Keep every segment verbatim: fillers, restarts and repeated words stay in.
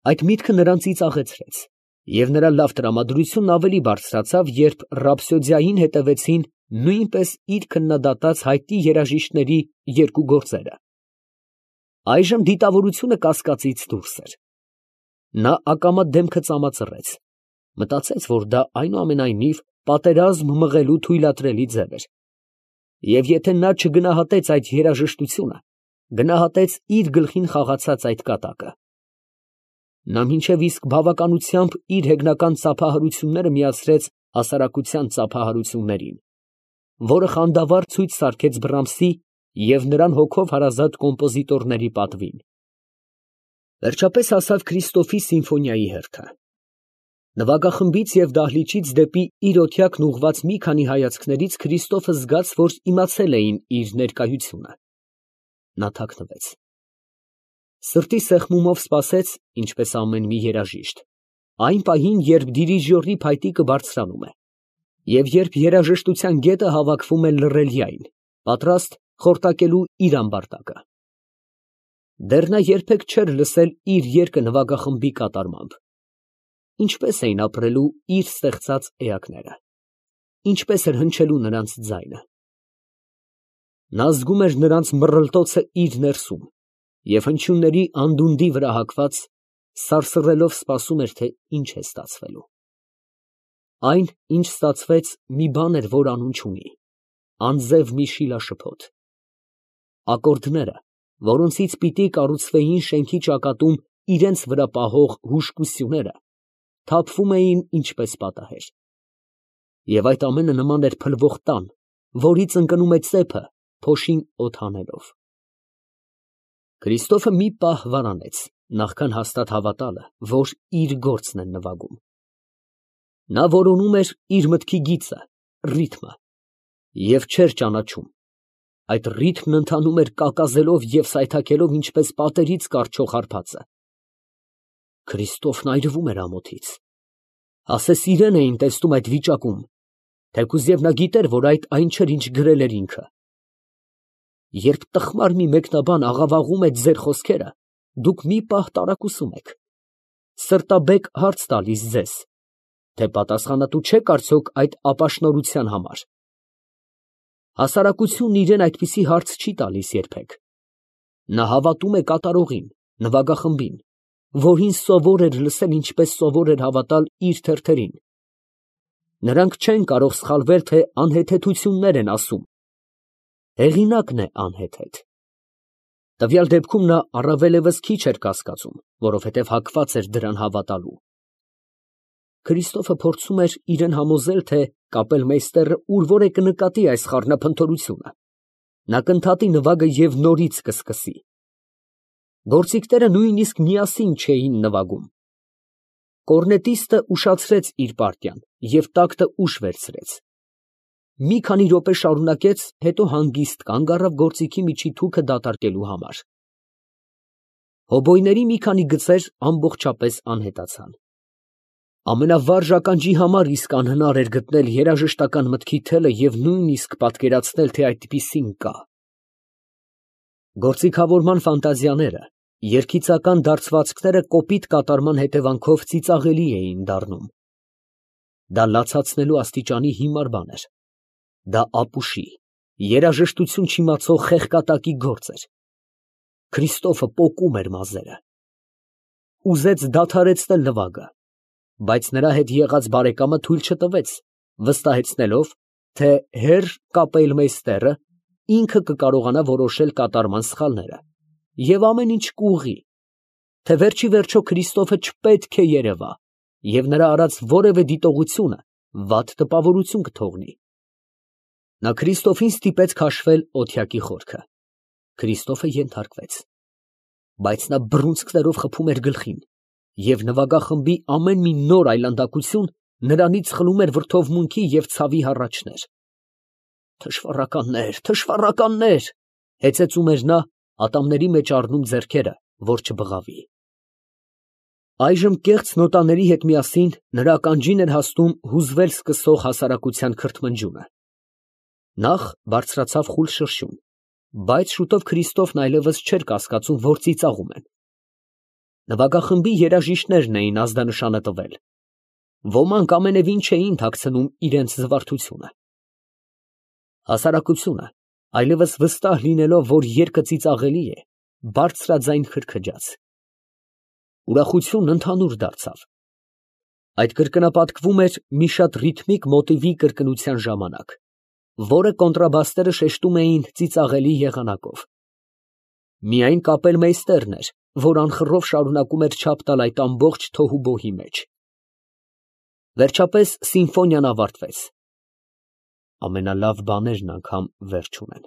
Այդ միտքը նրան ծիծաղեցրեց, և նրա լավ տրամադրությունն ավելի բարձրացավ, երբ ռապսոդիային հետևեցին նույնպես իր քննադատած հայտնի երաժիշտների երկու գործերը։ Այժմ դիտավորությունը կասկածից դուրս էր. նա ակամա դեմքը ծամածռեց, մտածեց, որ դա այնուամենայնիվ պատերազմ մղելու թույլատրելի ձև էր, և եթե նա չգնահատեց այդ երաժշտությունը, գնահատեց իր գլխին խաղացած այդ կատակը։ Նա մինչև իսկ բավականությամբ իր հեգնական ծափահարությունները միացրեց հասարակության ծափահարություններին, որը խանդավառ ցույց սարքեց Բրամսի և նրան հոգով հարազատ կոմպոզիտորների պատվին։ Վերջապես հասավ Քրիստոֆի սիմֆոնիայի հերթը։ Նվագախմբից և դահլիճից դեպի իր օթյակն ուղղված մի քանի հայացքներից Քրիստոֆը զգաց, որ իմացել էին իր ներկայությունը։ Նա թաքնվեց։ Սրտի սեղմումով սպասեց, ինչպես ամեն մի երաժիշտ, այն պահին, երբ դիրիժորի փայտիկը բարձրանում է, և երբ երաժշտության գետը հավաքվում է լռելյայն, պատրաստ խորտակելու իր ամբարտակը։ Դեռ նա երբեք չէր լսել իր երգը նվագախմբի կատարմամբ։ Ինչպես էին ապրելու իր ստեղծած էակները, ինչպես էր հնչելու նրանց ձայնը։ Նա զգում էր նրանց մռռլտոցը իր ներսում և հնչյունների անդունդի վրա հագված, սարսռելով սպասում էր, թե ինչ է ստացվելու։ Այն, ինչ ստացվեց, մի բան էր, որ անուն չունի, անձև մի շիլաշփոթ։ Ակորդները, որոնցից պիտի կառուցվեին շենքի ճակատում իրենց վրա պահող հուժկությունները, թափվում էին ինչպես պատահեր։ Եվ այդ ամենը նման էր փլվող տան, որից ընկնում է ծեփը, փոշին օդ հանելով։ Քրիստոֆը մի պահ վարանեց, նախքան հաստատ հավատալը, որ իր գործն են նվագում։ Նա որոնում էր իր մտքի գիծը, ռիթմը, և չէր ճանաչում. այդ ռիթմն ընթանում էր կակազելով և սայթաքելով ինչպես պատերից կառչող հարբածը։ Քրիստոֆն այրվում էր ամոթից։ Ասես իրան էին տեսնում այդ վիճակում, թեկուզ և նա գիտեր, որ այդ այն չէր, ինչ գրել էր ինքը։ Երբ տխմար մի մեկնաբան աղավաղում է ձեր խոսքերը, դուք մի պահ տարակուսում եք, սրտաբեկ հարց տալիս ձեզ, թե պատասխանատու չեք արդյոք այդ ապաշնորհության համար։ Հասարակությունն իրան այդպիսի հարց չի տալիս երբեք։ Նա հավատում է կատարողին, նվագախմբին, որին սովոր էր լսել, ինչպես սովոր էր հավատալ իր թերթերին։ Նրանք չեն կարող սխալվել, թե անհեթեթություններ են ասում։ Հեղինակն է անհեթեթ։ Տվյալ դեպքում նա առավելևս քիչ էր կասկածում, որովհետև հակված էր դրան հավատալու։ Քրիստոֆը փորձում էր իրան համոզել, թե կապելմեյստերը ուր որ է կնկատի այս խառնափնթորությունը։ Նա կընդհատի նվագը և նորից կսկսի։ Գործիքները նույնիսկ միասին չէին նվագում։ Կորնետիստը ուշացրեց իր պարտիան և տակտը ուշ վերցրեց։ Մի քանի րոպե շարունակեց, հետո հանգիստ կանգ առավ գործիքի միջի թուքը դատարկելու համար։ Հոբոյների մի քանի գծեր ամբողջապես անհետացան։ Ամենավառ ականջի համար իսկ անհնար էր գտնել երաժշտական մտքի թելը և նույնիսկ պատկերացնել, թե այդպիսին կա։ Գործիքավորման ֆանտազիաները, երգիծական դարձվածքները կոպիտ կատարման հետևանքով ծիծաղելի էին դառնում։ Դա լացացնելու աստիճանի հիմար բան էր։ Դա ապուշի, երաժշտություն չիմացող խեղկատակի գործ էր։ Քրիստոֆը պոկում էր մազերը։ Ուզեց դադարեցնել նվագը, բայց նրա հետ եղած բարեկամը թույլ չտվեց, վստահեցնելով, թե հերր կապելմեյստերը ինքը կկարողանա որոշել կատարման սխալները, և ամեն ինչ կուղղի, թե վերջիվերջո Քրիստոֆը չպետք է երևա, և նրա արած որևէ դիտողությունը վատ տպավորություն կթողնի։ Նա Քրիստոֆին ստիպեց քաշվել օթյակի խորքը։ Քրիստոֆը ենթարկվեց, բայց նա բռունցքներով խփում էր գլխին, և նվագախմբի ամեն մի նոր այլանդակություն նրանից խլում էր վրդովմունքի և ցավի հառաչներ։ «Թշվառականներ, թշվառականներ», հեծեծում էր նա, ատամների մեջ առնում ձեռքերը, որ չբղավի։ Այժմ կեղծ նոտաների հետ միասին նրա ականջին էր հասնում հուզվել սկսող հասարակության քրթմնջյունը։ Նախ բարձրացավ խուլ շրշյուն, բայց շուտով Քրիստոֆն այլևս չէր կասկածում, որ ծիծաղում են։ Նվագախմբի երաժիշտներն էին ազդանշանը տվել. ոմանք ամենևին չէին թաքցնում իրենց զվարթությունը։ Հասարակությունը, այլևս վստահ լինելով, որ երգը ծիծաղելի է, բարձրաձայն քրքջաց։ Ուրախությունն ընդհանուր դարձավ։ Այդ կրկնապատկվում էր մի շատ ռիթմիկ մոտիվի կրկնության ժամանակ, որը կոնտրաբասները շեշտում էին ծիծաղելի եղանակով։ Միայն կապելմեյստերն էր, որ անխռով շարունակում էր չափ տալ այդ ամբողջ թոհուբոհի մեջ։ Վերջապես սիմֆոնիան ավարտվեց։ Ամենալավ բաներն անգամ վերջ ունեն։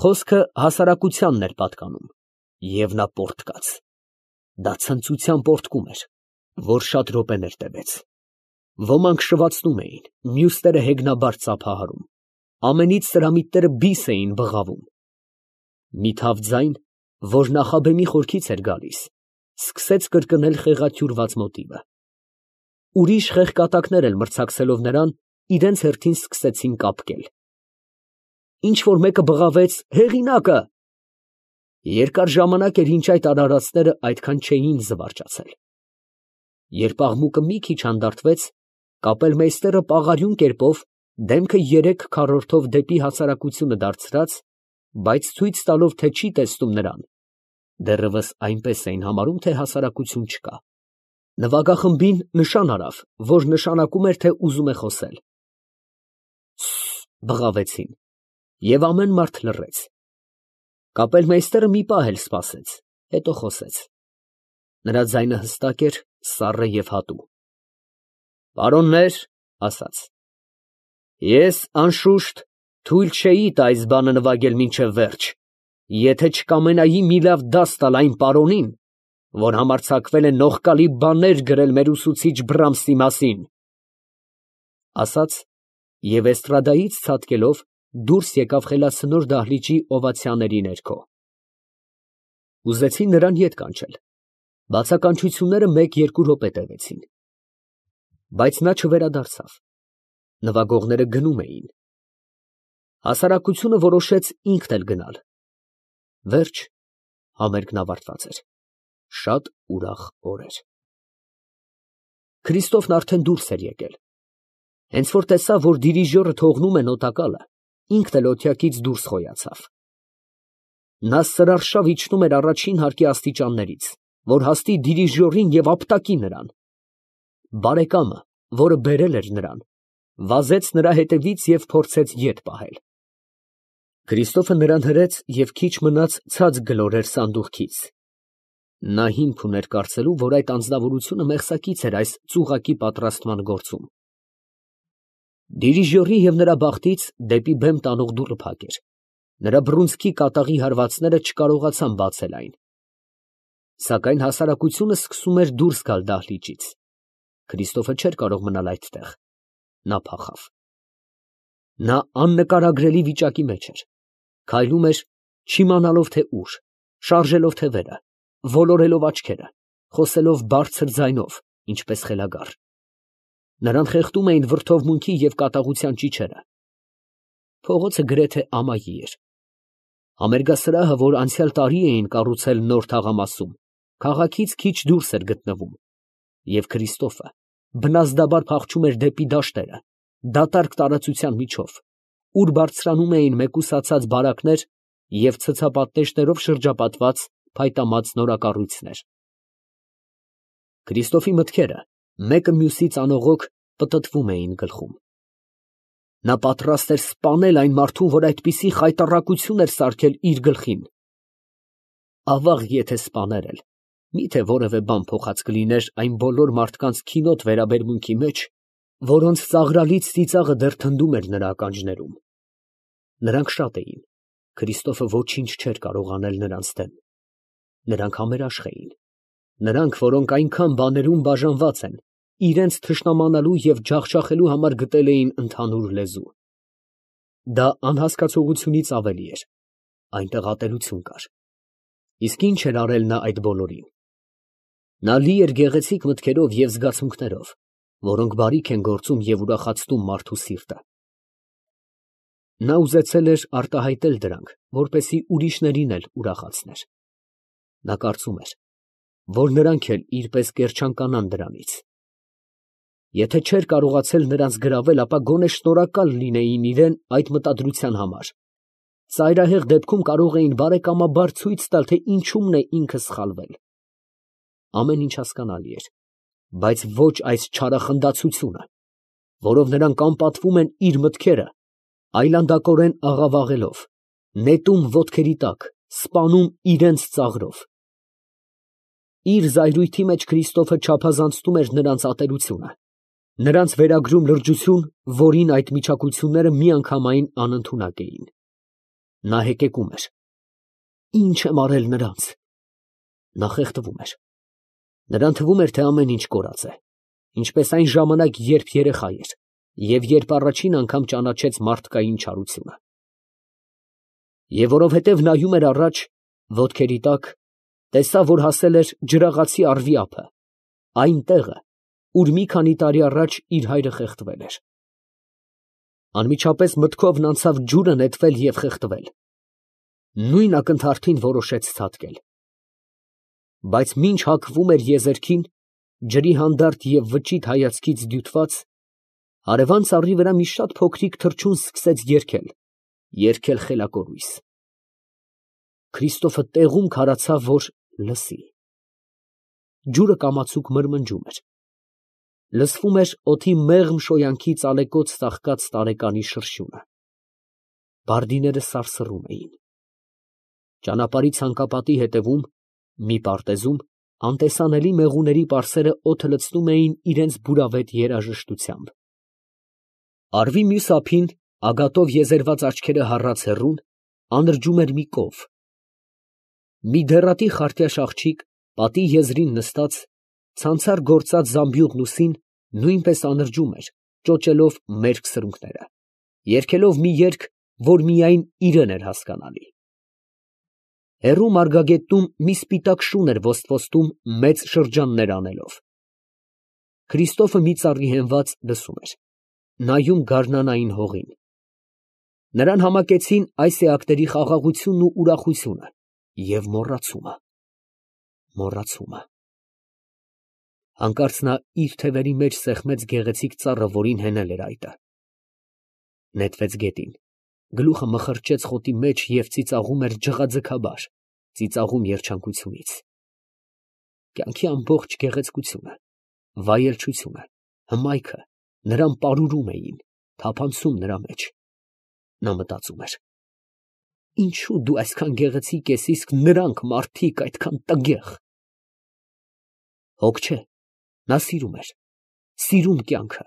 Խոսքը հասարակությանն էր պատկանում, և նա պոռթկաց։ Դա ցնծության պոռթկում էր, որ շատ րոպեներ տևեց։ Ոմանք շվացնում էին, մյուսները հեգնաբար ծափահարում, ամենից սրամիտները բիս էին բղավում։ Մի թավ ձայն, որ նախաբեմի խորքից էր գալիս, սկսեց կրկնել խեղաթյուրված մոտիվը։ Ուրիշ խեղկատակներ էլ մրցակցելով նրան, իրենց հերթին սկսեցին կապկել։ Ինչ֊որ մեկը բղավեց. «Հեղինակը»։ Երկար ժամանակ էր, ինչ այդ արարածները այդքան չէին զվարճացել։ Երբ աղմուկը մի քիչ հանդարտվեց, կապելմեյստերը պաղարյուն կերպով, դեմքը երեք քառորդով դեպի հասարակությունը դարձրած, բայց ցույց տալով, թե չի տեսնում նրան (դեռևս այնպես էին համարում, թե հասարակություն չկա), նվագախմբին նշան արավ, որ նշանակում էր, թե ուզում է խոսել։ «Սս» բղավեցին, և ամեն մարդ լռեց։ Կապելմեյստերը մի պահ էլ սպասեց, հետո խոսեց։ Նրա ձայնը հստակ էր, սառը և հատու։ «Պարոննե՛ր, ֊ ասաց, ֊ ես, անշուշտ, թույլ չէի տա այս բանը նվագել մինչև վերջ, եթե չկամենայի մի լավ դաս տալ այն պարոնին, որ համարձակվել է նողկալի բաներ գրել մեր ուսուցիչ Բրամսի մասին» ասաց և էստրադայից ցատկելով դուրս եկավ խելացնոր դահլիճի օվացիաների ներքո։ Ուզեցին նրան ետ կանչել, բացականչությունները մեկ֊երկու րոպե տևեցին, բայց նա չվերադարձավ, նվագողները գնում էին։ Հասարակությունը որոշեց ինքն էլ գնալ։ Վերջ, համերգն ավարտված էր, շատ ուրախ օր էր։ Քրիստոֆն արդեն դուրս էր եկել։ Հենց որ տեսավ, որ դիրիժորը թողնում է նոտակալը, ինքն էլ օթյակից դուրս խոյացավ։ Նա սրարշավ իջնում էր առաջին հարկի աստիճաններից, որ հասնի դիրիժորին և ապտակի նրան։ Բարեկամը, որը բերել էր նրան, վազեց նրա հետևից և փորձեց ետ պահել։ Քրիստոֆը նրան հրեց և քիչ մնաց ցած գլորեր սանդուղքից։ Նա հիմք ուներ կարծելու, որ այդ անձնավորությունը մեղսակից էր այս ծուղակի պատրաստման գործում։ Դիրիժորի և նրա բախտից դեպի բեմ տանող դուռը փակ էր։ Նրա բռունցքի կատաղի հարվածները չկարողացան բացել այն։ Սակայն հասարակությունը սկսում էր դուրս գալ դահլիճից։ Քրիստոֆը չէր կարող մնալ այդտեղ։ Նա փախավ։ Նա աննկարագրելի վիճակի մեջ էր, քայլում էր, չիմանալով թե ուր, շարժելով թևերը, ոլորելով աչքերը, խոսելով բարձր ձայնով, ինչպես խելագար։ Նրան խեղդում էին վրդովմունքի և կատաղության ճիչերը։ Փողոցը գրեթե ամայի էր։ Համերգասրահը, որ անցյալ տարի էին կառուցել նոր թաղամասում, քաղաքից քիչ դուրս էր գտնվում, և Քրիստոֆը բնազդաբար փախչում էր դեպի դաշտերը, դատարկ տարածության միջով, ուր բարձրանում էին մեկուսացած բարակներ և ցցապատնեշներով շրջապատված փայտամած նորակառույցներ։ Քրիստոֆի մտքերը մեկը մյուսից անողոք պտտվում էին գլխում։ Նա պատրաստ էր սպանել այն մարդուն, որ այդպիսի խայտառակություն էր սարքել իր գլխին։ Ավաղ, եթե սպաներ էլ, մի՞թե որևէ բան փոխած կլիներ այն բոլոր մարդկանց քինոտ վերաբերմունքի մեջ, որոնց ծաղրալից ծիծաղը դեռ թնդում էր նրա ականջներում։ Նրանք շատ էին, Քրիստոֆը ոչինչ չէր կարող անել նրանց դեմ։ Նրանք համերաշխ էին, նրանք, որոնք այնքան բաներում բաժանված են, իրենց թշնամանալու և ջախջախելու համար գտել էին ընդհանուր լեզու։ Դա անհասկացողությունից ավելի էր, այնտեղ ատելություն կար։ Իսկ ինչ էր արել նա այդ բոլորին։ Նա լի էր գեղեցիկ մտքերով և զգացմունքներով, որոնք բարիք են գործում և ուրախացնում մարդու սիրտը։ Նա ուզեցել էր արտահայտել դրանք, որպեսզի ուրիշներին էլ ուրախացներ։ Նա կարծում էր, որ նրանք էլ իրպես կերջանկանան դրանից։ Եթե չէր կարողացել նրանց գրավել, ապա գոնե շնորհակալ լինեին իրան այդ մտադրության համար. ծայրահեղ դեպքում կարող էին բարեկամաբար ցույց տալ, թե ինչումն է ինքը սխալվել։ Ամեն ինչ հասկանալի էր, բայց ոչ այս չարախնդացությունը, որով նրանք անպատվում են իր մտքերը, այլանդակորեն աղավաղելով, նետում ոտքերի տակ, սպանում իրենց ծաղրով։ Իր զայրույթի մեջ Քրիստոֆը չափազանցնում էր նրանց ատելությունը, նրանց վերագրում լրջություն, որին այդ միջակությունները միանգամայն անընդունակ էին։ Նա հեկեկում էր. «Ի՞նչ եմ արել նրանց»։ Նա խեղդվում էր։ Նրան թվում էր, թե ամեն ինչ կորած է, ինչպես այն ժամանակ, երբ երեխա էր, և երբ առաջին անգամ ճանաչեց մարդկային չարությունը։ Եվ որովհետև նայում էր առաջ, ոտքերի տակ, տեսավ, որ հասել էր ջրաղացի առվի ափը, այն տեղը, ուր մի քանի տարի առաջ իր հայրը խեղդվել էր։ Անմիջապես մտքովն անցավ ջուրը նետվել և խեղդվել։ Նույն ակնթարթին որոշեց ցատկել։ Բայց մինչ հագվում էր եզերքին, ջրի հանդարտ և վճիտ հայացքից դյութված, հարևան ծառի վրա մի շատ փոքրիկ թռչուն սկսեց երգել, երգել խելակորույս։ Քրիստոֆը տեղում քարացավ, որ լսի։ Ջուրը կամացուկ մրմնջում էր։ Լսվում էր օդի մեղմ շոյանքի ծալեկոծ ծաղկած տարեկանի շրշյունը։ Բարդիները սարսռում էին։ Ճանապարհի ցանկապատի ետևում, մի պարտեզում, անտեսանելի մեղուների պարսերը օդը լցնում էին իրենց բուրավետ երաժշտությամբ։ Առվի մյուս ափին, ագատով եզերված աչքերը հառած հեռուն, անրջում էր մի կով։ Մի դեռատի խարտյաշ աղջիկ, պատի եզրին նստած, ցանցառ գործած զամբյուղն ուսին, նույնպես անրջում էր, ճոճելով մերկ սրունքները, երգելով մի երգ, որ միայն իրան էր հասկանալի։ Հեռու մարգագետնում մի սպիտակ շուն էր ոստվոստում մեծ շրջաններ անելով։ Քրիստոֆը մի ծառի հենված լսում էր, նայում գարնանային հողին։ Նրան համակեցին այս էակների խաղաղությունն ու ուրախությունը և մոռացումը, մոռացումը։ Հանկարծ նա իր թևերի մեջ սեղմեց գեղեցիկ ծառը, որին հենել էր այտը։ Նետվեց գետին, գլուխը մխրճեց խոտի մեջ և ծիծաղում էր ջղաձգաբար, ծիծաղում երջանկությունից։ Կյանքի ամբողջ գեղեցկությունը, վայելչությունը, հմայքը նրան պարուրում էին, թափանցում նրա մեջ։ Նա մտածում էր. ինչո՞ւ դու այսքան գեղեցիկ ես, իսկ նրանք մարդիկ այդքան տգեղ։ Հոգ չէ, նա սիրում էր, սիրում կյանքը,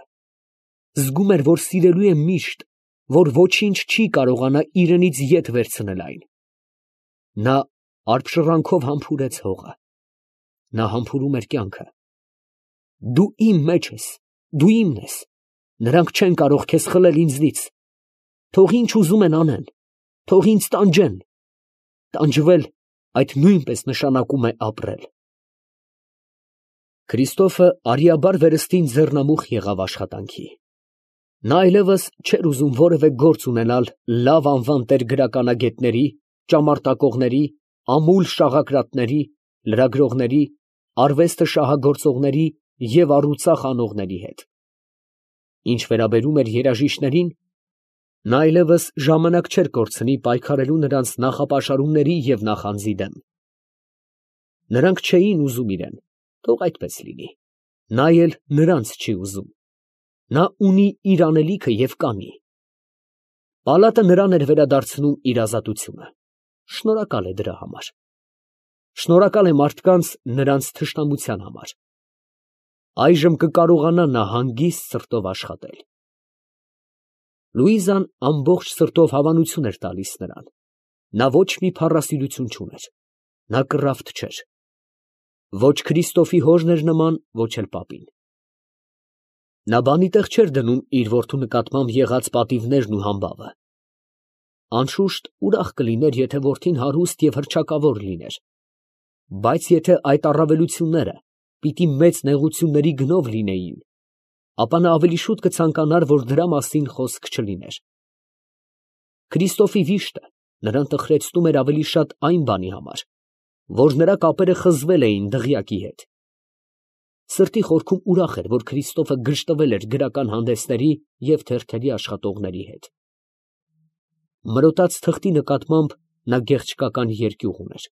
զգում էր, որ սիրելու է միշտ, որ ոչինչ չի կարողանա իրենից ետ վերցնել այն։ Նա արբշրանքով համբուրեց հողը։ Նա համբուրում էր կյանքը։ Դու իմ մեջ ես, դու իմն ես, նրանք չեն կարող քեզ խլել ինձնից։ Թող ինչ ուզում են անեն, թող ինձ տանջեն։ Տանջվել այդ նույնպես նշանակում է ապրել։ Քրիստոֆը արիաբար վերստին ձեռնամուխ եղավ աշխատանքի։ Նա այլևս չէր ուզում որևէ գործ ունենալ լավ անվան տեր֊գրականագետների, ճամարտակողների, ամուլ շաղակրատների, լրագրողների, արվեստը շահագործողների և առուծախ անողների հետ։ Ինչ վերաբերում էր երաժիշտներին, նա այլևս ժամանակ չէր կորցնի պայքարելու նրանց նախապաշարումների և նախանձի դեմ։ Նրանք չէին ուզում իրան, թող այդպես լինի, նա էլ նրանց չի ուզում։ Նա ունի իր անելիքը և կանի։ Պալատը նրան էր վերադարձնում իր ազատությունը։ Շնորհակալ է դրա համար։ Շնորհակալ է մարդկանց նրանց թշնամության համար։ Այժմ կկարողանա նա հանգիստ սրտով աշխատել։ Լուիզան ամբողջ սրտով հավանություն էր տալիս նրան։ Նա ոչ մի փառասիրություն չուներ։ Նա կռավտ չէր։ Ոչ Քրիստոֆի հորն էր նման, ոչ էլ պապին։ Նա բանի տեղ չէր դնում իր որդու նկատմամբ եղած պատիվներն ու համբավը։ Անշուշտ ուրախ կլիներ, եթե որդին հարուստ և հռչակավոր լիներ, բայց եթե այդ առավելությունները պիտի մեծ նեղությունների գնով լինեին, ապա նա ավելի շուտ կցանկանար, որ դրա մասին խոսք չլիներ։ Քրիստոֆի վիշտը նրան տխրեցնում էր ավելի շատ այն բանի համար, որ նրա կապերը խզվել էին դղյակի հետ։ Սրտի խորքում ուրախ էր, որ Քրիստոֆը գժտվել էր գրական հանդեսների և թերթերի աշխատողների հետ։ Մրոտած թղթի նկատմամբ նա գեղեցկական երկյուղ ուներ։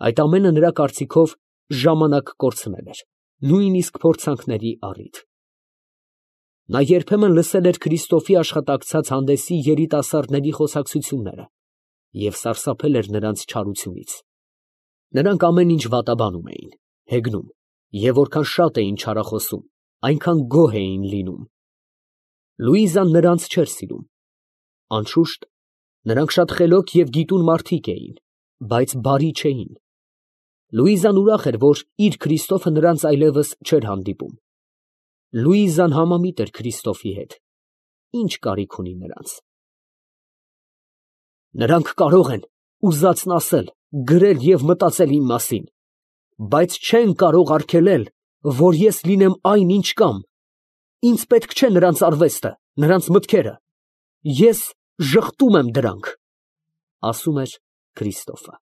Այդ ամենը նրա կարծիքով ժամանակ կորցնել էր, նույնիսկ փորձանքների առիթ։ Նա երբեմն լսել էր Քրիստոֆի աշխատակցած հանդեսի երիտասարդների խոսակցությունները և սարսափել էր նրանց չարությունից։ Նրանք ամեն ինչ վատաբանում էին, հեգնում, և որքան շատ էին չարախոսում, այնքան գոհ էին լինում։ Լուիզան նրանց չէր սիրում։ Անշուշտ, նրանք շատ խելոք և գիտուն մարդիկ էին, բայց բարի չէին։ Լուիզան ուրախ էր, որ իր Քրիստոֆը նրանց այլևս չէր հանդիպում։ Լուիզան համամիտ էր Քրիստոֆի հետ, ի՞նչ կարիք ունի նրանց։ Նրանք կարող են ուզածն ասել, գրել և մտածել իմ մասին, բայց չեն կարող արգելել, որ ես լինեմ այն, ինչ կամ, ինձ պետք չէ նրանց արվեստը, նրանց մտքերը, ես ժխտում եմ դրանք, — ասում էր Քրիստոֆը։